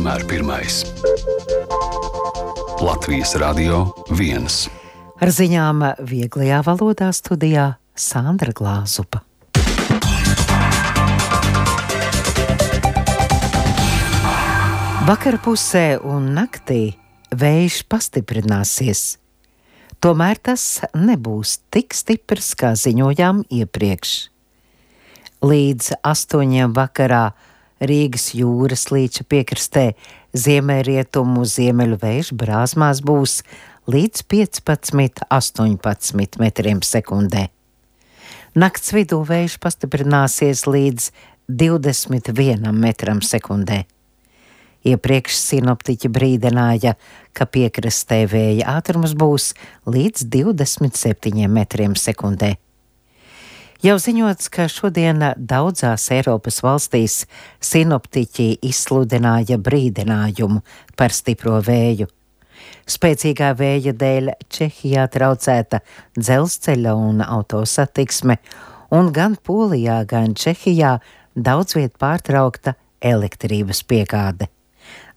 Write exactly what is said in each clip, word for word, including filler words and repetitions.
vienmēr pirmais. Latvijas Radio viens. Ar ziņām vieglajā valodā studijā Sandra Glāzupa. Vakar pusē un naktī vējš pastiprināsies. Tomēr tas nebūs tik stiprs, kā ziņojām iepriekš. Līdz astoņiem vakarā Rīgas jūras līča piekrastē ziemeļrietumu ziemeļu vējš brāzmās būs līdz piecpadsmit līdz astoņpadsmit metriem sekundē. Nakts vidū vējš pastiprināsies līdz divdesmit vienam metram sekundē. Iepriekš sinoptiķi brīdināja, ka piekrastē vēja ātrums būs līdz divdesmit septiņiem metriem sekundē. Jau ziņots, ka šodien daudzās Eiropas valstīs sinoptiķi izsludināja brīdinājumu par stipro vēju. Spēcīgā vēja dēļ Čehijā traucēta dzelzceļa un autosatiksme, un gan Polijā, gan Čehijā daudz viet pārtraukta elektrības piegāde.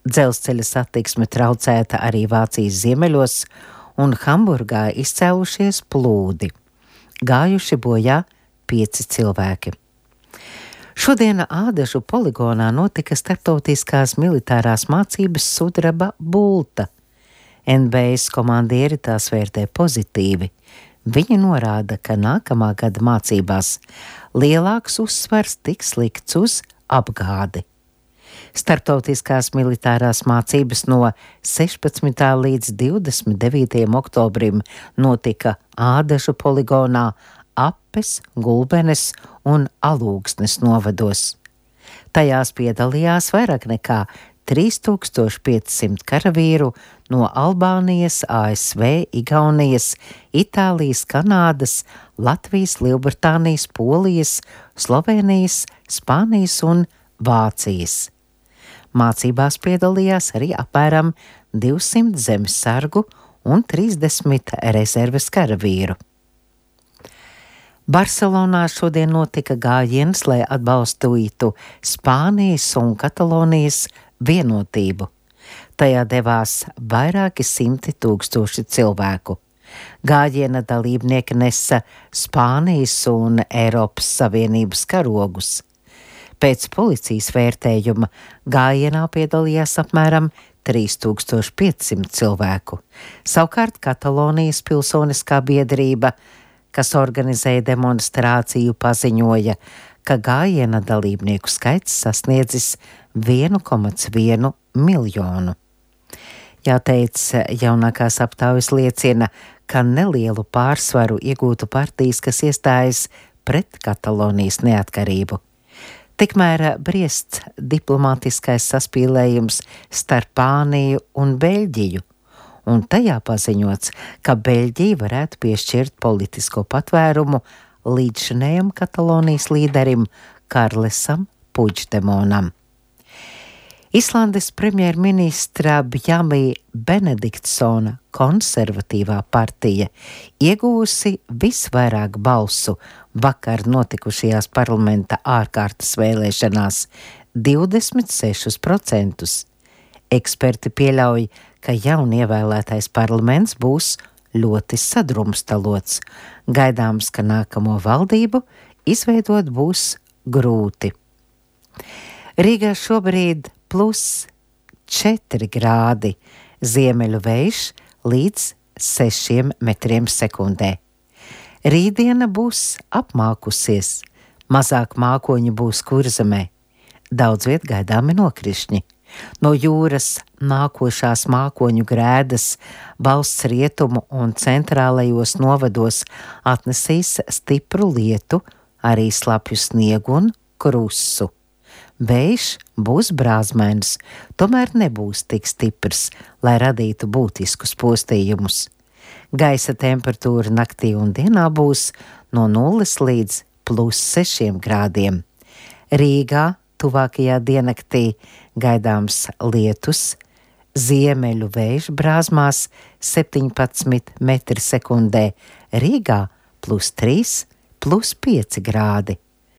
Dzelzceļa satiksme traucēta arī Vācijas ziemeļos, un Hamburgā izcēlušies plūdi. Gājuši bojā pieci cilvēki. Šodien Ādažu poligonā notika starptautiskās militārās mācības sudraba bulta. N B S komandieri tās vērtē pozitīvi. Viņi norāda, ka nākamā gada mācībās lielāks uzsvars tiks likts uz apgādi. Starptautiskās militārās mācības no sešpadsmitā līdz divdesmit devītajam oktobrim notika Ādažu poligonā, Apes, Gulbenes un Alūksnes novados. Tajās piedalījās vairāk nekā trīs tūkstoši piecsimt karavīru no Albānijas, A S V, Igaunijas, Itālijas, Kanādas, Latvijas, Lielbritānijas, Polijas, Slovenijas, Spānijas un Vācijas. Mācībās piedalījās arī apmēram divsimt zemesargu un trīsdesmit rezerves karavīru. Barcelonā šodien notika gājiens, lai atbalstītu Spānijas un Katalonijas vienotību. Tajā devās vairāki simti tūkstoši cilvēku. Gājiena dalībnieki nesa Spānijas un Eiropas Savienības karogus. Pēc policijas vērtējuma gājienā piedalījās apmēram trīs tūkstoši piecsimt cilvēku. Savukārt Katalonijas pilsoniskā biedrība, kas organizēja demonstrāciju, paziņoja, ka gājiena dalībnieku skaits sasniedzis vienu komats vienu miljonu. Jāteic, jaunākās aptaujas liecina, ka nelielu pārsvaru iegūtu partijas, kas iestājas pret Katalonijas neatkarību. Tikmēr briests diplomātiskais saspīlējums starp Spāniju un Beļģiju, un tajā paziņots, ka Beļģija varētu piešķirt politisko patvērumu līdzšinējam Katalonijas līderim Karlesam Puigdemonam. Islandes premjerministra Bjarni Benediktsona konservatīvā partija iegūsi visvairāk balsu vakar notikušajās parlamenta ārkārtas vēlēšanās – divdesmit sešus procentus. Eksperti pieļauj, ka jaunievēlētais parlaments būs ļoti sadrumstalots. Gaidāms, ka nākamo valdību izveidot būs grūti. Rīgā šobrīd plus četri grādi, ziemeļu vējš līdz sešiem metriem sekundē. Rītdiena būs apmākusies, mazāk mākoņu būs Kurzemē. Daudz viet gaidāmi nokrišņi. No jūras nākošās mākoņu grēdas valsts rietumu un centrālajos novados atnesīs stipru lietu, arī slapju sniegu un krusu. Vējš būs brāzmēns, tomēr nebūs tik stiprs, lai radītu būtiskus postījumus. Gaisa temperatūra naktī un dienā būs no nulles līdz plus sešiem grādiem. Rīgā tuvākajā diennaktī gaidāms lietus, ziemeļu vējš brāzmās septiņpadsmit metri sekundē, Rīgā plus trīs, plus pieci grādi.